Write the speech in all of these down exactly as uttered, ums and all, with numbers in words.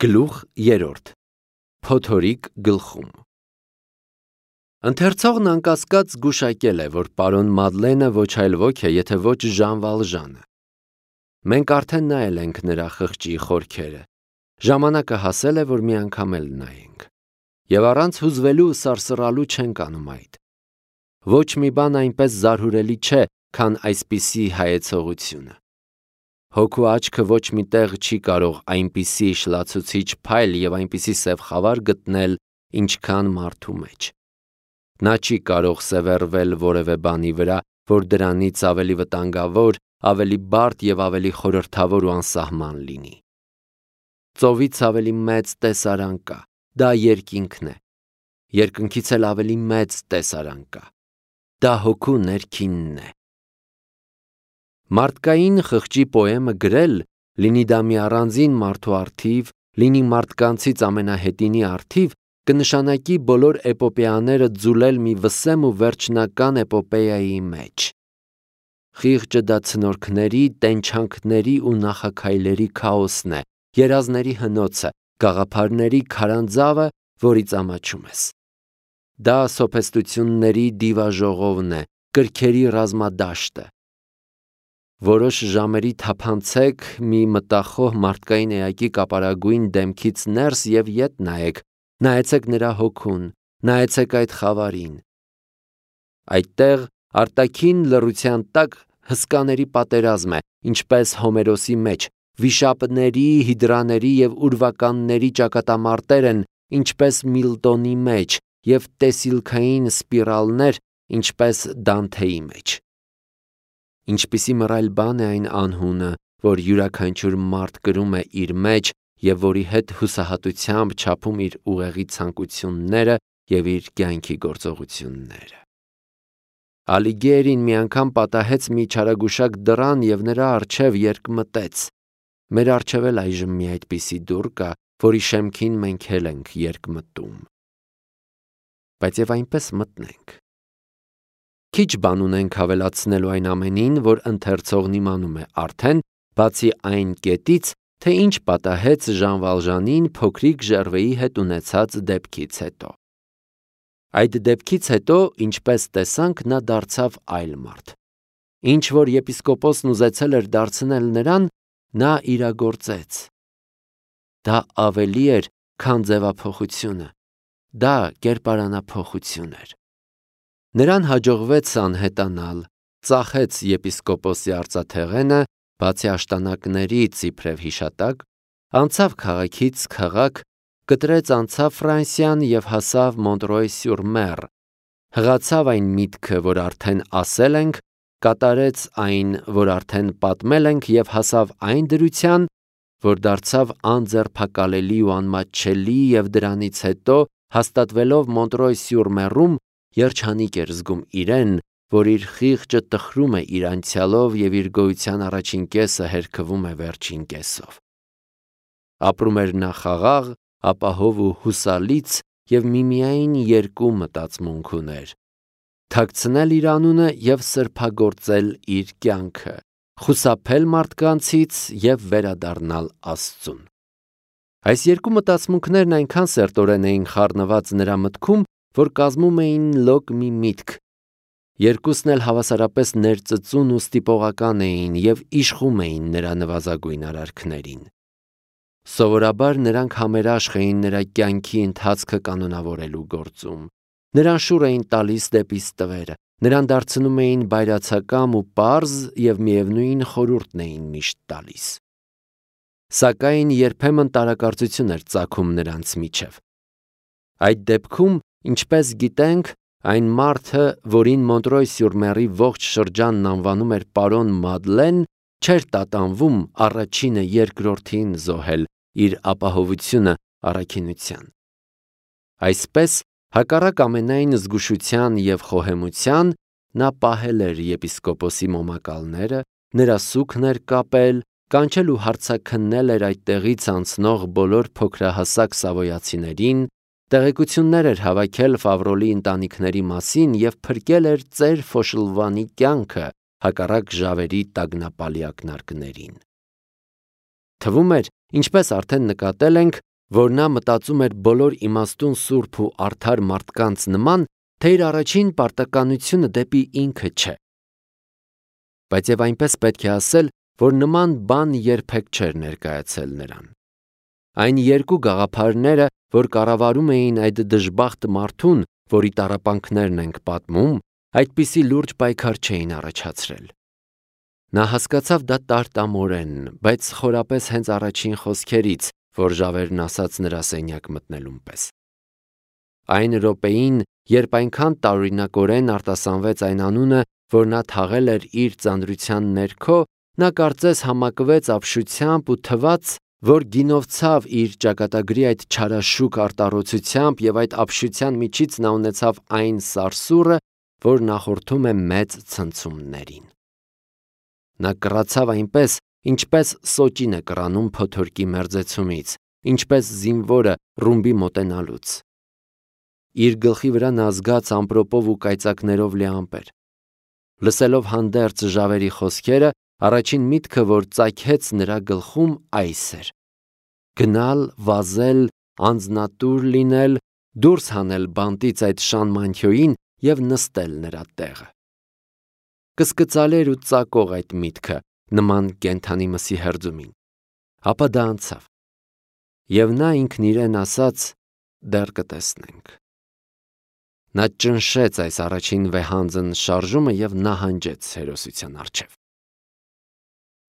Գլուխ երրորդ. Փոթորիկ գլխում։ Ընթերցողն անկասկած զգուշակել է, որ պարոն Մադլենը ոչ այլ ոք է, եթե ոչ Ժան Վալժանը։ Մենք արդեն նայել ենք նրա խղճի խորքերը, ժամանակը հասել է, որ մի անգամ էլ նայենք, և առանց հուզվելու ու սարսռալու չենք անում այդ։ Ոչ մի բան այնպես զարհուրելի չէ, քան այսպիսի հայեցողությունը։ Հոգու աչքը ոչ մի տեղ չի կարող այնպիսի շլացուցիչ փայլ և այնպիսի սև խավար գտնել, ինչքան մարդու մեջ։ Նա չի կարող սևեռվել որևէ բանի վրա, որ դրանից ավելի վտանգավոր, ավելի բարդ և ավելի խորհրդավոր ու անսահման լինի։ Ծովից ավելի մեծ տեսարան կա, դա երկինքն է։ Երկնքից էլ ավելի մեծ տեսարան կա, դա հոգու ներքինն է։ Մարդկային խղճի պոեմը գրել, լինի դա մի առանձին մարդու առթիվ, լինի մարդկանցից ամենահետինի առթիվ, կնշանակի բոլոր էպոպեաները ձուլել մի վսեմ ու վերջնական էպոպեայի մեջ։ Խիղճը դա ցնորքների, տենչանքների ու նախաքայլերի քաոսն է, երազների հնոցը, գաղափարների քարանձավը, որից ամաչում ես։ Դա սոփեստությունների դիվաժողովն է, կրքերի ռազմադաշտը։ Որոշ ժամերի թափանցեք մի մտախոհ մարդկային էակի կապարագույն դեմքից ներս և ետ նայեք, նայեցեք նրա հոգուն, նայեցեք այդ խավարին։ Այդտեղ արտաքին լռության տակ հսկաների պատերազմ է, ինչպես Հոմերոսի մեջ, վիշապների, հիդրաների և ուրվականների ճակատամարտեր են, ինչպես Միլտոնի մեջ, և տեսիլքային սպիրալներ, ինչպես Դանթեի մեջ։ Ինչպիսի մռայլ բան է այն անհունը, որ յուրաքանչյուր մարդ կրում է իր մեջ և որի հետ հուսահատությամբ չափում իր ուղեղի ցանկությունները և իր կյանքի գործողությունները։ Ալիգերին մի անգամ պատահեց մի չարագուշակ դռան և նրա առջև երկմտեց։ Մեր առջև էլ այժմ մի այդպիսի դուռ կա, որի շեմքին մենք էլ ենք երկմտում։ Բայց և այնպես մտնենք։ Քիչ բան ունենք հավելացնելու այն ամենին, որ ընթերցողն իմանում է արդեն, բացի այն կետից, թե ինչ պատահեց Ժան Վալժանին փոքրիկ Ժերվեի հետ ունեցած դեպքից հետո։ Այդ դեպքից հետո, ինչպես տեսանք, նա դարձավ այլ մարդ։ Ինչ որ եպիսկոպոսն ուզեցել էր դարձնել նրան, նա իրագործեց։ Դա ավելի էր, քան ձևափոխությունը, դա կերպարանափոխություն էր։ Նրան հաջողվեց անհետանալ, ծախեց եպիսկոպոսի արծաթեղենը, բացի աշտանակներից իբրև հիշատակ, անցավ քաղաքից քաղաք, կտրեց անցավ Ֆրանսիան և հասավ Մոնտրոյ-սյուր-Մեր, հղացավ այն միտքը, որ արդեն ասել ենք, կատարեց այն, որ արդեն պատմել ենք և հասավ այն դրության, որ դարձավ անձեռփակալելի ու անմատչելի և դրանից հետո, հաստատվելով Մոնտրոյ-սյուր-Մերում, երջանիկ էր զգում իրեն, որ իր խիղճը տխրում է իր անցյալով և իր գոյության առաջին կեսը հերքվում է վերջին կեսով։ Ապրում էր նա խաղաղ, ապահով ու հուսալից և միմիայն երկու մտածմունք ուներ. թաքցնել իր անունը և սրբագործել իր կյանքը, խուսափել մարդկանցից և վերադառնալ Աստծուն։ Այս երկու մտածմունքներն այնքան սերտորեն էին խառնված նրա մտքում, որ կազմում էին լոկ մի միտք։ Երկուսն էլ հավասարապես ներծծուն ու ստիպողական էին և իշխում էին նրա նվազագույն արարքներին։ Սովորաբար նրանք համերաշխ էին նրա կյանքի ընթացքը կանոնավորելու գործում։ Նրան շուռ էին տալիս դեպի ստվերը, նրան դարձնում էին բայրացակամ ու պարզ և միևնույն խորհուրդն էին միշտ տալիս։ Սակայն երբեմն տարակարծություն էր ծագում նրանց միջև։ Այդ դեպքում, ինչպես գիտենք, այն մարդը, որին Մոնտրոյ-սյուր-Մերի ողջ շրջանն անվանում էր պարոն Մադլեն, չէր տատանվում առաջինը երկրորդին զոհել իր ապահովությունը առաքինության։ Այսպես, հակառակ ամենայն զգուշության և խոհեմության, նա պահել էր եպիսկոպոսի մոմակալները, նրա սուգն էր կապել, կանչել ու հարցաքննել էր այդտեղից անցնող բոլոր փոքրահասակ սավոյացիներին, տեղեկություններ էր հավաքել Ֆավրոլի ընտանիքների մասին և փրկել էր ծեր Ֆոշլվանի կյանքը հակառակ ժավերի տագնապալի ակնարկներին։ Թվում էր, ինչպես արդեն նկատել ենք, որ նա մտածում էր բոլոր իմաստուն սուրբ ու արդար մարդկանց նման, թե իր առաջին պարտականությունը դեպի ինքը չէ։ Բայց եւ այնպես պետք է ասել, որ նման բան երբեք չէր ներկայացել նրան։ Այն երկու գաղափարները, որ կառավարում էին այդ դժբախտ մարդուն, որի տառապանքներն ենք պատմում, այդպիսի լուրջ պայքար չէին առաջացրել։ Նա հասկացավ դա տարտամորեն, բայց խորապես հենց առաջին խոսքերից, որ ժավերն ասաց նրա սենյակ մտնելուն պես։ Այն րոպեին, երբ այնքան տարօրինակորեն արտասանվեց այն անունը, որ նա թաղել էր իր ծանրության ներքո, նա կարծես համակվեց ապշությամբ ու թվաց, որ գինովցավ իր ճակատագրի այդ չարաշուք արտառոցությամբ և այդ ապշության միջից նա ունեցավ այն սարսուռը, որ նախորդում է մեծ ցնցումներին։ Նա կռացավ այնպես, ինչպես սոճին է կռանում փոթորկի մերձեցումից, ինչպես զինվորը ռումբի մոտենալուց։ Իր գլխի վրա նա զգաց ամպրոպով ու կայծակներով լի ամպեր։ Լսելով հանդերձ ժավերի խոսքերը, առաջին միտքը, որ ծագեց նրա գլխում, այս էր. գնալ, վազել, անձնատուր լինել, դուրս հանել բանտից այդ շան մանթյոյին և նստել նրա տեղը։ Կսկծալի էր ու ծակող այդ միտքը, նման կենդանի մսի հերձումին։ Ապա դա անցավ։ Եվ նա ինքն իրեն ասաց. դեռ կտեսնենք։ Նա ճնշեց այս առաջին վեհանձն շարժումը և նահանջեց հերոսության առջև։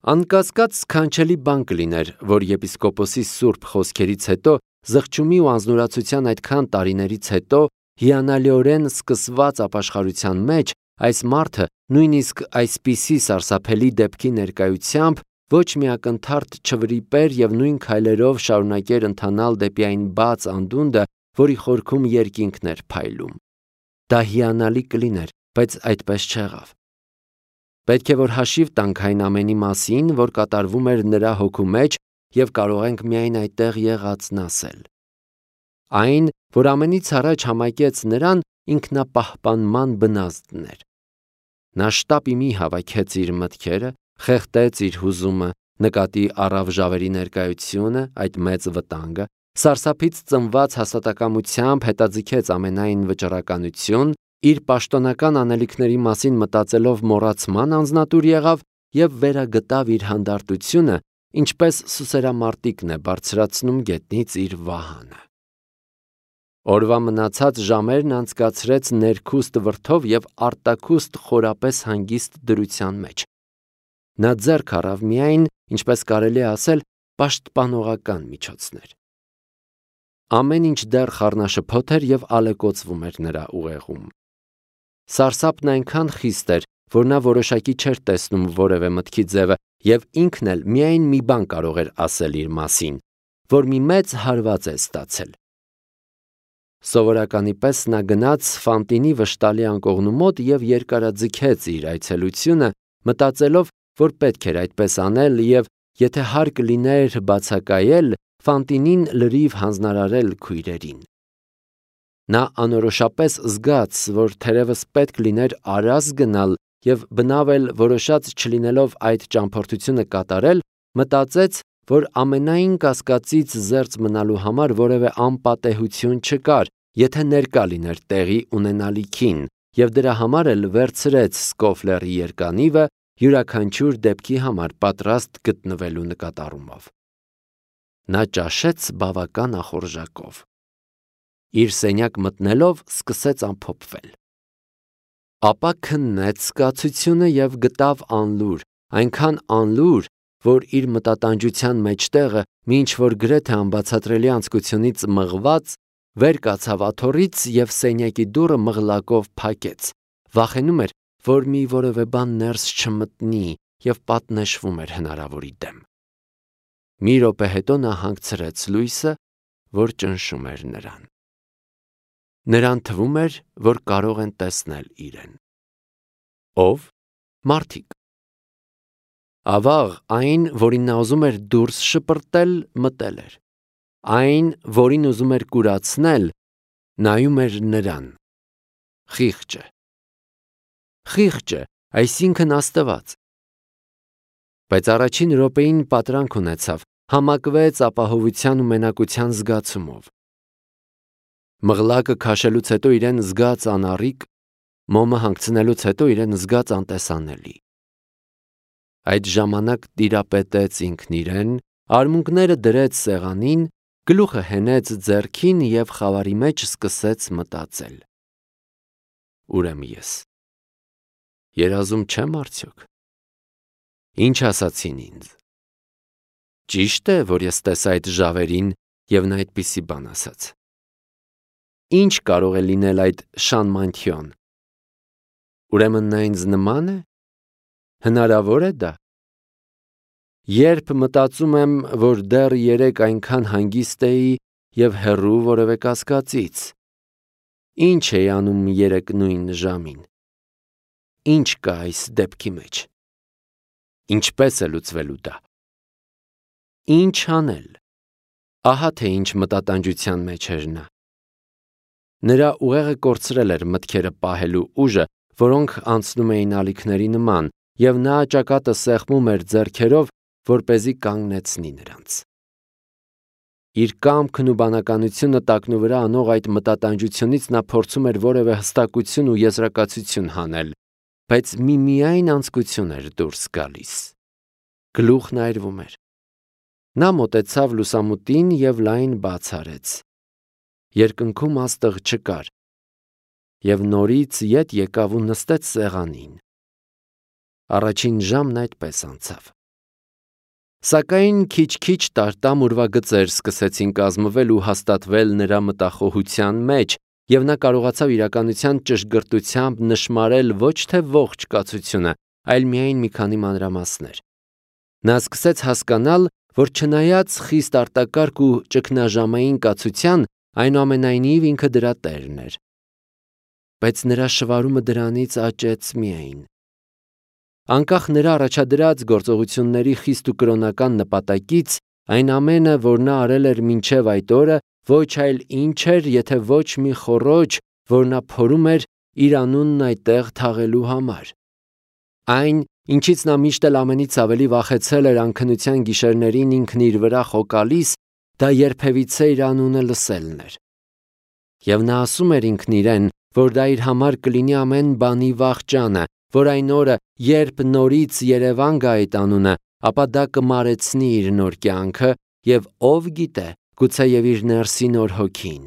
Անկասկած սքանչելի բան կլիներ, որ եպիսկոպոսի սուրբ խոսքերից հետո, զղջումի ու անձնուրացության այդքան տարիներից հետո, հիանալիորեն սկսված ապաշխարության մեջ, այս մարդը նույնիսկ այսպիսի սարսափելի դեպքի ներկայությամբ ոչ մի ակնթարթ չվրիպեր և նույն քայլերով շարունակեր ընթանալ դեպի այն բաց անդունդը, որի խորքում երկինքն էր փայլում։ Դա հիանալի կլիներ, բայց այդպես չեղավ։ Պետք է որ հաշիվ տանք այն ամենի մասին, որ կատարվում էր նրա հոգու մեջ և կարող ենք միայն այդտեղ եղածն ասել։ Այն, որ ամենից առաջ համակեց նրան, ինքնապահպանման բնազդն էր։ Նա շտապի մի հավաքեց իր մտքերը, խեղդեց իր հուզումը, նկատի առավ ժավերի ներկայությունը, այդ մեծ վտանգը, սարսափից ծնված հաստատակամությամբ հետաձգեց ամենայն վճռականություն, իր պաշտոնական անելիքների մասին մտածելով մոռացման անձնատուր եղավ և վերագտավ իր հանդարտությունը, ինչպես սուսերամարտիկն է բարձրացնում գետնից իր վահանը։ Օրվա մնացած ժամերն անցկացրեց ներքուստ վրդով և արտաքուստ խորապես հանգիստ դրության մեջ։ Նա ձեռք առավ միայն, ինչպես կարելի է ասել, պաշտպանողական միջոցներ։ Ամեն ինչ դեռ խառնաշփոթ էր և ալեկոծվում էր նրա ուղեղում։ Սարսափն այնքան խիստ էր, որ նա որոշակի չէր տեսնում որևէ մտքի ձևը և ինքն էլ միայն մի բան կարող էր ասել իր մասին, որ մի մեծ հարված է ստացել։ Սովորականի պես նա գնաց Ֆանտինի վշտալի անկողնու մոտ և երկարաձգեց իր այցելությունը, մտածելով, որ պետք էր այդպես անել և, եթե հարկ լիներ բացակայել, Ֆանտինին լրիվ հանձնարարել քույրերին։ Նա անորոշապես զգաց, որ թերևս պետք լիներ Արաս գնալ և բնավ էլ որոշած չլինելով այդ ճամփորդությունը կատարել, մտածեց, որ ամենայն կասկածից զերծ մնալու համար որևէ անպատեհություն չկար, եթե ներկա լիներ տեղի ունենալիքին, և դրա համար էլ վերցրեց Սկոֆլերի երկանիվը յուրաքանչյուր դեպքի համար պատրաստ գտնվելու նկատառումով։ Նա ճաշեց բավական ախորժակով։ Իր սենյակ մտնելով սկսեց ամփոփվել։ Ապա քննեց զգացությունը և գտավ անլուր, այնքան անլուր, որ իր մտատանջության մեջտեղը մի ինչ-որ գրեթե անբացատրելի անձկությունից մղված, վեր կացավ աթոռից և սենյակի դուռը մղլակով փակեց, վախենում էր, որ մի որևէ բան ներս չմտնի և պատնեշվում էր հնարավորի դեմ։ Մի րոպե հետո նա հանգցրեց լույսը, որ ճնշում էր նրան։ Նրան թվում էր, որ կարող են տեսնել իրեն։ Ո՞վ։ Մարդիկ։ Ավաղ, այն, որին նա ուզում էր դուրս շպրտել, մտել էր։ Այն, որին ուզում էր կուրացնել, նայում էր նրան։ Խիղճը։ Խիղճը, այսինքն Աստված։ Բայց առաջին րոպեին պատրանք ունեցավ, համակվեց ապահովության ու մենակության զգացումով։ Մղլակը քաշելուց հետո իրեն զգաց անառիկ, մոմը հանգցնելուց հետո իրեն զգաց անտեսանելի։ Այդ ժամանակ տիրապետեց ինքն իրեն, արմունկները դրեց սեղանին, գլուխը հենեց ձեռքին և խավարի մեջ սկսեց մտածել. Ուրեմն ես երազում չեմ արդյոք։ Ինչ ասացին ինձ։ Ճիշտ է, որ ես տեսա այդ ժավերին և նա այդպիսի բան ասաց։ Ինչ կարող է լինել այդ Շանմանթիոն։ Ուրեմն նա ինձ նման է։ Հնարավոր է դա։ Երբ մտածում եմ, որ դեռ երեկ այնքան հանգիստ էի և հեռու որևէ կասկածից, ինչ էի անում երեկ նույն ժամին։ Ինչ կա այս դեպքի մեջ։ Ինչպես է լուծվելու դա։ Ինչ անել։ Ահա թե ինչ մտատանջության մեջ էր նա։ Նրա ուղեղը կորցրել էր մտքերը պահելու ուժը, որոնք անցնում էին ալիքների նման, և նա ճակատը սեղմում էր ձեռքերով, որպեսզի կանգնեցնի նրանց։ Իր կամքն ու բանականությունը տակնուվրա անող այդ մտատանջությունից նա փորձում էր որևէ հստակություն ու եզրակացություն հանել, բայց միմիայն անձկություն էր դուրս գալիս։ Գլուխն այրվում էր։ Նա մոտեցավ լուսամուտին և լայն բաց արեց։ Երկնքում աստղ չկար, և նորից ետ եկավ ու նստեց սեղանին։ Առաջին ժամն այդպես անցավ։ Սակայն քիչ-քիչ տարտամ ուրվագծեր սկսեցին կազմվել ու հաստատվել նրա մտախոհության մեջ, և նա կարողացավ իրականության ճշգրտությամբ նշմարել ոչ թե ողջ կացությունը, այլ միայն մի քանի մանրամասներ։ Նա սկսեց հասկանալ, որ չնայած խիստ արտակարգ ու ճգնաժամային կացության, այնուամենայնիվ ինքը դրա տերն էր։ Բայց նրա շվարումը դրանից աճեց միայն։ Անկախ նրա առաջադրած գործողությունների խիստ ու կրոնական նպատակից, այն ամենը, որ նա արել էր մինչև այդ օրը, ոչ այլ ինչ էր, եթե ոչ մի խոռոչ, որ նա փորում էր իր անունն այդտեղ թաղելու համար։ Այն, ինչից նա միշտ էլ ամենից ավելի վախեցել էր անքնության գիշերներին ինքն իր վրա խոկալիս, դա երբևիցե իր անունը լսելն էր։ Եվ նա ասում էր ինքն իրեն, որ դա իր համար կլինի ամեն բանի վախճանը, որ այն օրը, երբ նորից երևան գա այդ անունը, ապա դա կմարեցնի իր նոր կյանքը և ով գիտե, գուցեև իր ներսի նոր հոգին։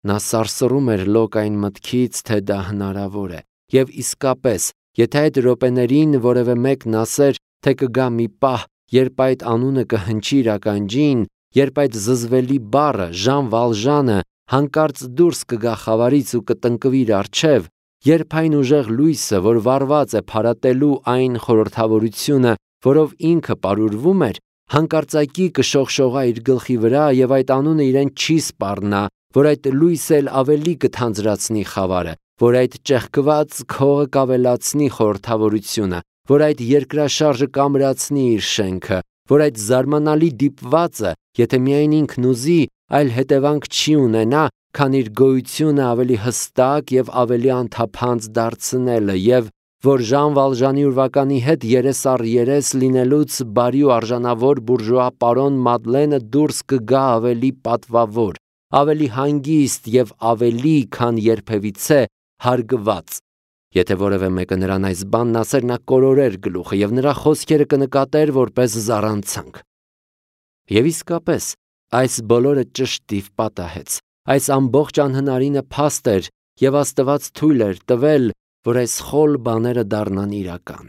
Նա սարսռում էր լոկ այն մտքից, թե դա հնարավոր է, և իսկապես, եթե այդ րոպեներին որևէ մեկն ասեր, թե կգա մի պահ, երբ այդ անունը կհնչի իր ականջին, երբ այդ զզվելի բառը, Ժան Վալժանը, հանկարծ դուրս կգա խավարից ու կտնկվի իր առջև, երբ այն ուժեղ լույսը, որ վառված է փարատելու այն խորհրդավորությունը, որով ինքը պարուրվում էր, հանկարծակի կշողշողա իր գլխի վրա և այդ անունը իրեն չի սպառնա, որ այդ լույսը էլ ավելի կթանձրացնի խավարը, որ այդ ճեղքված քողը կավելացնի խորհրդավորությունը, որ այդ երկրաշարժը կամրացնի իր շենքը, որ այդ զարմանալի դիպվածը, եթե միայն ինքն ուզի, այլ հետևանք չի ունենա, քան իր գոյությունը ավելի հստակ և ավելի անթափանց դարձնելը, և որ Ժան Վալժանի ուրվականի հետ երես առ երես լինելուց բարի ու արժանավոր բուրժուա պարոն Մադլենը դուրս կգա ավելի պատվավոր, ավելի հանգիստ և ավելի, քան երբևիցե հարգված։ Եթե որևէ մեկը նրան այս բանն ասեր, նա կորորեր գլուխը, և նրա խոսքերը կնկատեր որպես զառանցանք։ Եվ իսկապես, այս բոլորը ճշտիվ պատահեց։ Այս ամբողջ անհնարինը փաստ էր, և Աստված թույլ էր տվել, որ այս խոլ բաները դառնան իրական։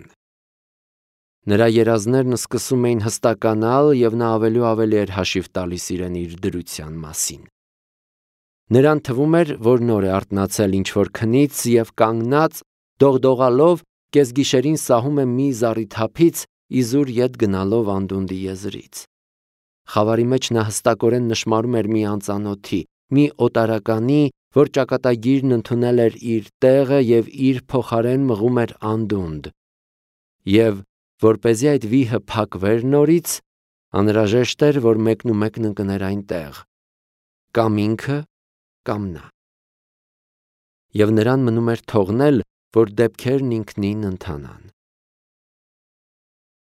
Նրա երազներն սկսում էին հստականալ, և նա ավելի ու ավելի էր հաշիվ տալիս իրեն իր դրության մասին։ Նրան թվում էր, որ նոր է արթնացել ինչ-որ քնից և կանգնած, դողդողալով, կեսգիշերին սահում է մի զառիթափից, իզուր ետ գնալով անդունդի եզրից։ Խավարի մեջ նա հստակորեն նշմարում էր մի անծանոթի, մի օտարականի, որ ճակատագիրն ընդունել էր իր տեղը և իր փոխարեն մղում էր անդունդ։ Եվ, որպեսզի այդ վիհը փակվեր նորից, անհրաժեշտ էր, որ մեկն ու մեկն ընկներ այնտեղ, կամ ինքը, կամ նա։ Եվ նրան մնում էր թողնել, որ դեպքերն ինքնին ընթանան։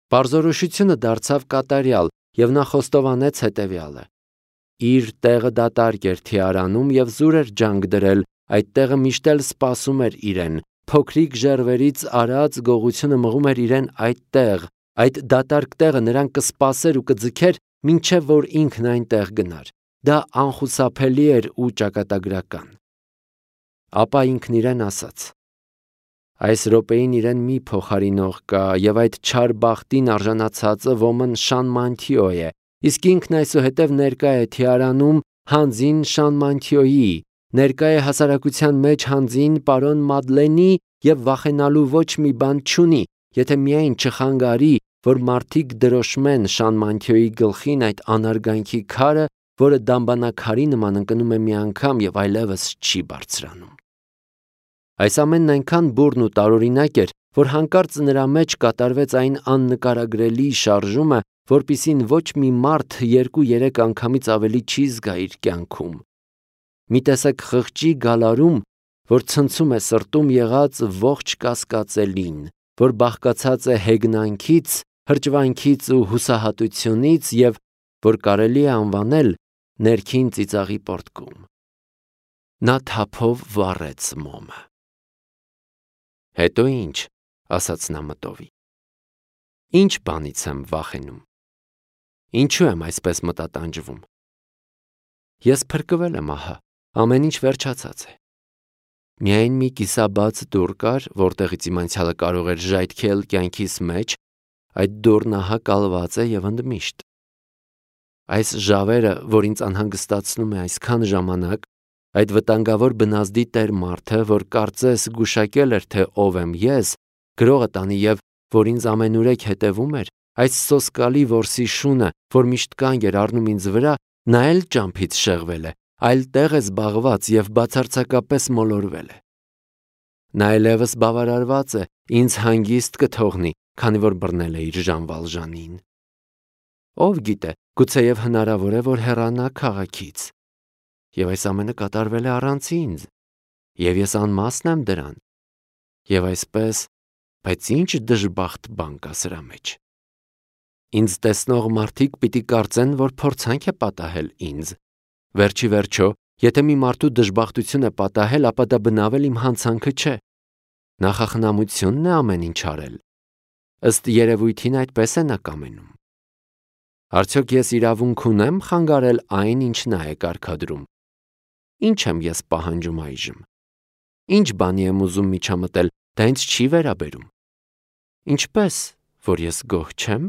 Պարզորոշությունը դարձավ կատարյալ, եւ նա խոստովանեց հետևյալը. իր տեղը դատարկ էր թիարանում եւ զուր էր ջանք դրել, այդ տեղը միշտ էլ սպասում էր իրեն, փոքրիկ ժերվերից արած գողությունը մղում էր իրեն այդ տեղ, այդ դատարկ տեղը նրան կսպասեր ու կձգեր, մինչև որ ինքն այնտեղ գնար։ Դա անխուսափելի էր ու ճակատագրական։ Ապա ինքն իրեն ասաց. այս րոպեին իրեն մի փոխարինող կա, եւ այդ չար բախտին արժանացածը ոմն Շանմանթիո է, իսկ ինքն այսուհետև ներկա է թիարանում հանձին Շանմանթիոյի, ներկա է հասարակության մեջ հանձին պարոն Մադլենի եւ վախենալու ոչ մի բան չունի, եթե միայն չխանգարի, որ մարդիկ դրոշմեն Շանմանթիոյի գլխին այդ անարգանքի քարը, որը դամբանակարի նման ընկնում է մի անգամ եւ այլևս չի բարձրանում։ Այս ամենն այնքան բուռն ու տարօրինակ էր, որ հանկարծ նրա մեջ կատարվեց այն աննկարագրելի շարժումը, որպիսին ոչ մի մարդ երկու-երեք անգամից ավելի չի զգա իր կյանքում։ Մի տեսակ խղճի գալարում, որ ցնցում է սրտում եղած ողջ կասկածելին, որ բաղկացած է հեգնանքից, հրճվանքից ու հուսահատությունից եւ որ կարելի է անվանել ներքին ծիծաղի պոռթկում։ Նա թափով վառեց մոմը։ Հետո ինչ, ասաց նա մտովի։ Ինչ բանից եմ վախենում։ Ինչու եմ այսպես մտատանջվում։ Ես փրկվել եմ ահա, ամեն ինչ վերջացած է։ Միայն մի կիսաբաց դուռ կար, որտեղից իմ անցյալը կարող էր ժայթքել կյանքիս մեջ, այդ դուռն ահա կալված է եւ ընդմիշտ։ Այս ժավերը, որ ինձ անհանգստացնում է այսքան ժամանակ, այդ վտանգավոր բնազդի տեր մարդը, որ կարծես գուշակել էր, թե ով եմ ես, գրողը տանի եւ որ ինձ ամենուրեք հետևում էր, այս սոսկալի որսի շունը, որ միշտ կանգ էր առնում ինձ վրա, նա էլ ճամփից շեղվել է, այլ տեղ է զբաղված եւ բացարձակապես մոլորվել է։ Նա այլևս բավարարված է, ինձ հանգիստ կթողնի, քանի որ բռնել է իր Ժանվալժանին։ Ով գիտե, գուցեև հնարավոր է, որ հեռանա քաղաքից։ Եվ այս ամենը կատարվել է առանց ինձ, եւ ես անմասն եմ դրան։ Եվ այսպես, բայց ինչ դժբախտ բան կա սրա մեջ։ Ինձ տեսնող մարդիկ պիտի կարծեն, որ փորձանք է պատահել ինձ։ Վերջի վերջո, եթե մի մարդու դժբախտություն է պատահել, ապա դա բնավել իմ հանցանքը չէ։ Նախախնամությունն է ամեն ինչ արել։ Ըստ երևույթին այդպես է նա կամենում։ Արդյոք ես իրավունք ունեմ խանգարել այն, ինչ նա է կարգադրում։ Ինչ եմ ես պահանջում այժմ։ Ինչ բանի եմ ուզում միջամտել, դա ինձ չի վերաբերում։ Ինչպես, որ ես գոհ չեմ։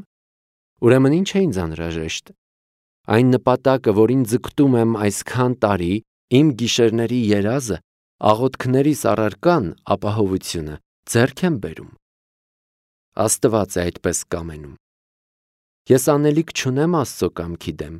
Ուրեմն ինչ է ինձ անհրաժեշտ։ Այն նպատակը, որին ձգտում եմ այսքան տարի, իմ գիշերների երազը, աղոթքներիս առարկան, ապահովությունը ձեռք եմ բերում։ Աստված է այդպես կամենում։ Ես անելիք չունեմ Աստծո կամքի դեմ։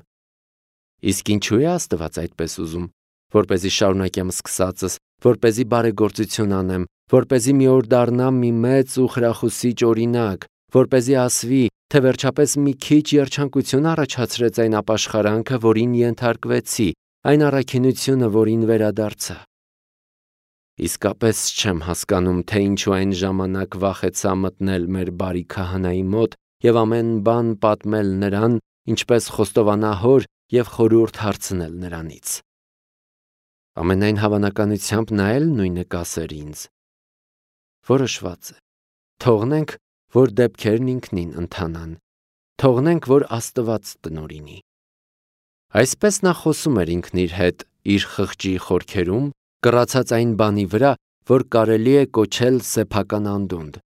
Իսկ ինչու է Աստված այդպես ուզում, որպեսզի շարունակեմ սկսածս, որպեսզի բարեգործություն անեմ, որպեսզի մի օր դառնամ մի մեծ ու խրախուսիչ օրինակ, որպեսզի ասվի, թե վերջապես մի քիչ երջանկություն առաջացրեց այն ապաշխարանքը, որին ենթարկվեցի, այն առաքինությունը, որին վերադարձա։ Իսկապես չեմ հասկանում, թե ինչու այն ժամանակ վախեցա մտնել մեր բարի քահանայի մոտ եւ ամեն բան պատմել նրան, ինչպես խոստովանահոր եւ խորհուրդ հարցնել նրանից։ Ամենայն հավանականությամբ նա էլ նույնը կասեր ինձ։ Որոշված է։ Թողնենք, որ դեպքերն ինքնին ընթանան։ Թողնենք, որ Աստված տնօրինի։ Այսպես նա խոսում էր ինքն իր հետ, իր խղճի խորքերում, կռացած այն բանի վրա, որ կարելի է կոչել սեփական անդունդը։